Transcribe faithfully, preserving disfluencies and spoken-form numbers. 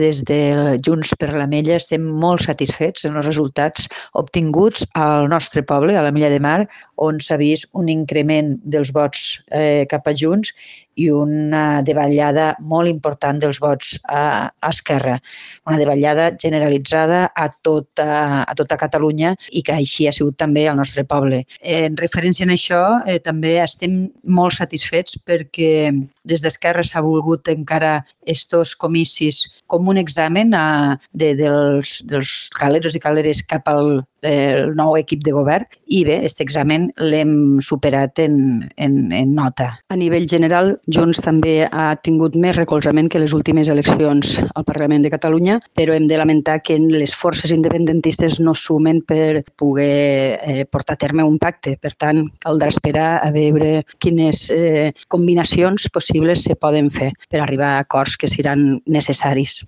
Des de Junts per l'Ametlla estem molt satisfets amb els resultats obtinguts al nostre poble, a l'Ametlla de Mar, on s'ha vist un increment dels vots eh, cap a Junts i una davallada molt important dels vots a, a Esquerra. Una davallada generalitzada a tota, a tota Catalunya i que així ha sigut també al nostre poble. En referència a això, eh, també estem molt satisfets perquè des d'Esquerra s'ha volgut encara estos comicis com un examen a, de, dels, dels caleros i caleres cap al eh, nou equip de govern i bé, aquest examen l'hem superat en, en, en nota. A nivell general, Junts també ha tingut més recolzament que les últimes eleccions al Parlament de Catalunya, però hem de lamentar que les forces independentistes no sumen per poder eh, portar a terme un pacte. Per tant, caldrà esperar a veure quines eh, combinacions possibles se poden fer per arribar a acords que seran necessaris.